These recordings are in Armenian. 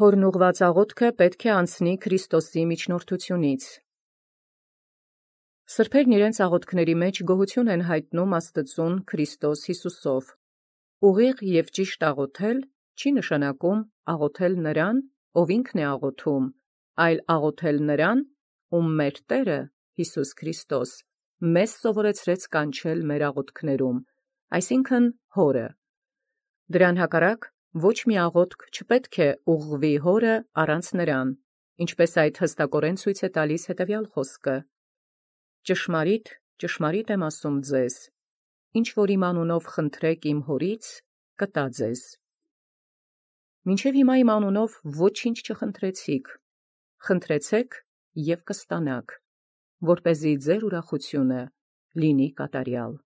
Հորն ուղղված աղոթքը պետք է անցնի Քրիստոսի միջնորդությունից։ Սրբերն իրենց աղոթքների մեջ գոհություն են հայտնում Աստծուն Քրիստոս Յիսուսով։ Ուղիղ և ճիշտ աղոթել չի նշանակում աղոթել նրան, ով ինքն է աղոթում, այլ աղոթել նրան, ում մեր Տերը Յիսուս Քրիստոս մեզ սովորեցրեց կանչել մեր աղոթքներում, այսինքն Հորը։ Դրան հակառակ ոչ մի աղոթք չպետք է ուղղվի Հորը առանց նրան, ինչպես այդ հստակորեն ցույց է տալիս հետևյալ խոսքը. «Ճշմարիտ, ճշմարիտ եմ ասում ձեզ, ինչ որ իմ անունով խնդրեք իմ Հորից, կտա ձեզ»։ Մինչև հիմա իմ անունով ոչինչ չխնդրեցիք, խնդրեցեք և կստանաք, որպեսզի ձեր ուրախությունը լինի կատարյալ։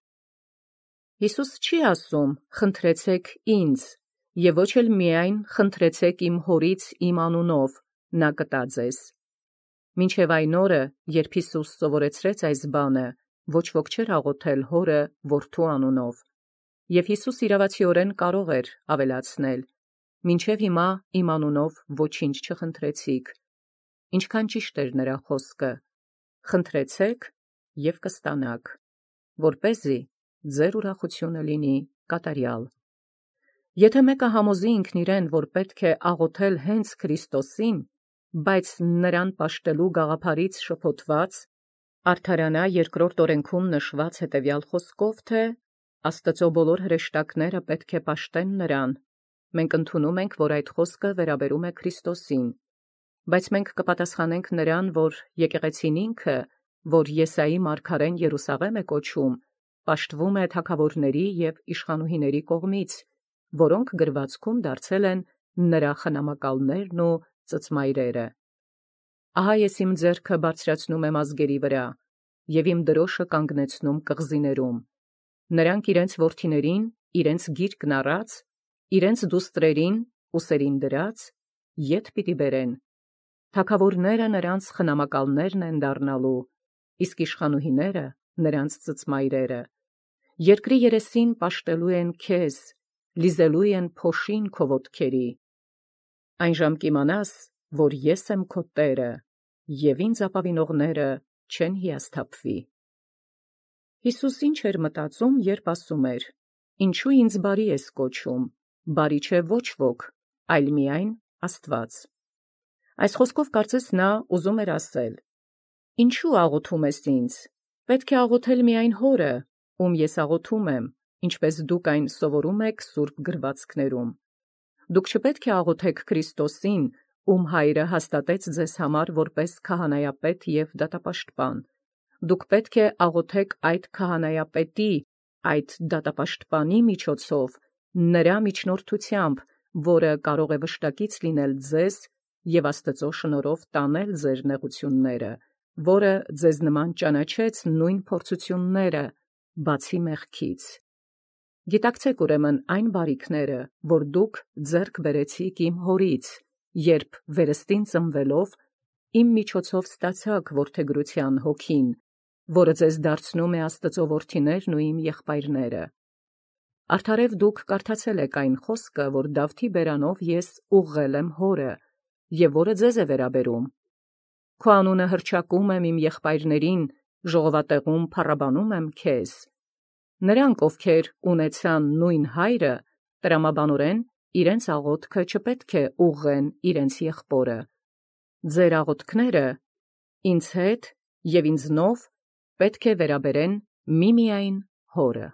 Յիսուս չի ասում խնդրեցեք ինձ, և ոչ էլ միայն խնդրեցեք իմ Հորից իմ անունով, նա կտա ձեզ։ Մինչև այն օրը, երբ Յիսուս սովորեցրեց այս բանը, ոչ ոք չէր աղոթել Հորը Որդու անունով։ Եվ Յիսուս իրավացիորեն կարող էր ավելացնել. մինչև հիմա իմ անունով ոչինչ չխնդրեցիք։ Ինչքան ճիշտ էր նրա խոսքը. խնդրեցեք և կստանաք, որպեսզի ձեր ուրախությունը լինի կատարյալ։ Եթե մեկը համոզի ինքն իրեն, որ պետք է աղոթել հենց Քրիստոսին, բայց նրան պաշտելու գաղափարից շփոթված, արդարանա երկրորդ օրենքում նշված հետևյալ խոսքով, թե «Աստծո բոլոր հրեշտակները պետք է պաշտեն նրան», մենք ընդունում ենք, որ այդ խոսքը վերաբերում է Քրիստոսին, բայց մենք կպատասխանենք նրան, որ եկեղեցին ինքը, որ Եսայի մարգարեն Երուսաղեմ է կոչում, պաշտվում է թագավորների և իշխանուհիների կողմից, որոնք գրվածքում դարձել են նրա խնամակալներն ու ծծմայրերը։ Ահա ես իմ ձեռքը բարձրացնում եմ ազգերի վրա, և իմ դրոշը կանգնեցնում կղզիներում։ Նրանք իրենց որդիներին իրենց գիրկն առած, իրենց դուստրերին ուսերին դրած, ետ պիտի բերեն։ Թագավորները նրանց խնամակալներն են դառնալու, իսկ իշխանուհիները նրանց ծծմայրերը։ Երկրի երեսին պաշտելու են քեզ, լիզելու են փոշին քո ոտքերի։ Այն ժամ կիմանաս, որ ես եմ քո Տերը, և ինձ ապավինողները չեն հիասթափվի։ Յիսուս ինչ էր մտածում, երբ ասում էր. «Ինչու ինձ բարի ես կոչում, բարի չէ ոչ ոք, այլ միայն Աստված»։ Այս խոսքով կարծես նա ուզում էր ասել. «Ինչու աղոթում ես ինձ, պետք է աղոթել միայն Հորը, ում ես աղոթում եմ, ինչպես դուք այն սովորում եք սուրբ գրվածքներում։ Դուք չպետք է աղոթեք Քրիստոսին, ում Հայրը հաստատեց ձեզ համար որպես քահանայապետ և դատապաշտպան։ Դուք պետք է աղոթեք այդ քահանայապետի, այդ դատապաշտպանի միջոցով, նրա միջնորդությամբ, որը կարող է վշտակից լինել ձեզ և Աստծո շնորհով տանել ձեր նեղությունները, որը ձեզ նման ճանաչեց նույն փորձությունները, բացի մեղքից։ Գիտակցեք ուրեմն այն բարիքները, որ դուք ձեռք բերեցիք իմ Հորից, երբ վերստին ծնվելով իմ միջոցով ստացաք որդեգրության հոգին, որը ձեզ դարձնում է Աստծո որդիներն ու իմ եղբայրները։ Արդարև դուք կարդացել եք այն խոսքը, որ Դավթի բերանով ես ուղղել եմ Հորը, և որը ձեզ է վերաբերում. «Քո անունը հռչակում եմ իմ եղբայրներին, ժողովատեղում փառաբանում եմ քեզ»։ Նրանք, ովքեր ունեցան նույն Հայրը, տրամաբանորեն իրենց աղոթքը չպետք է ուղղեն իրենց եղբորը։ Ձեր աղոթքները ինձ հետ և ինձնով պետք է վերաբերեն միմիայն Հորը։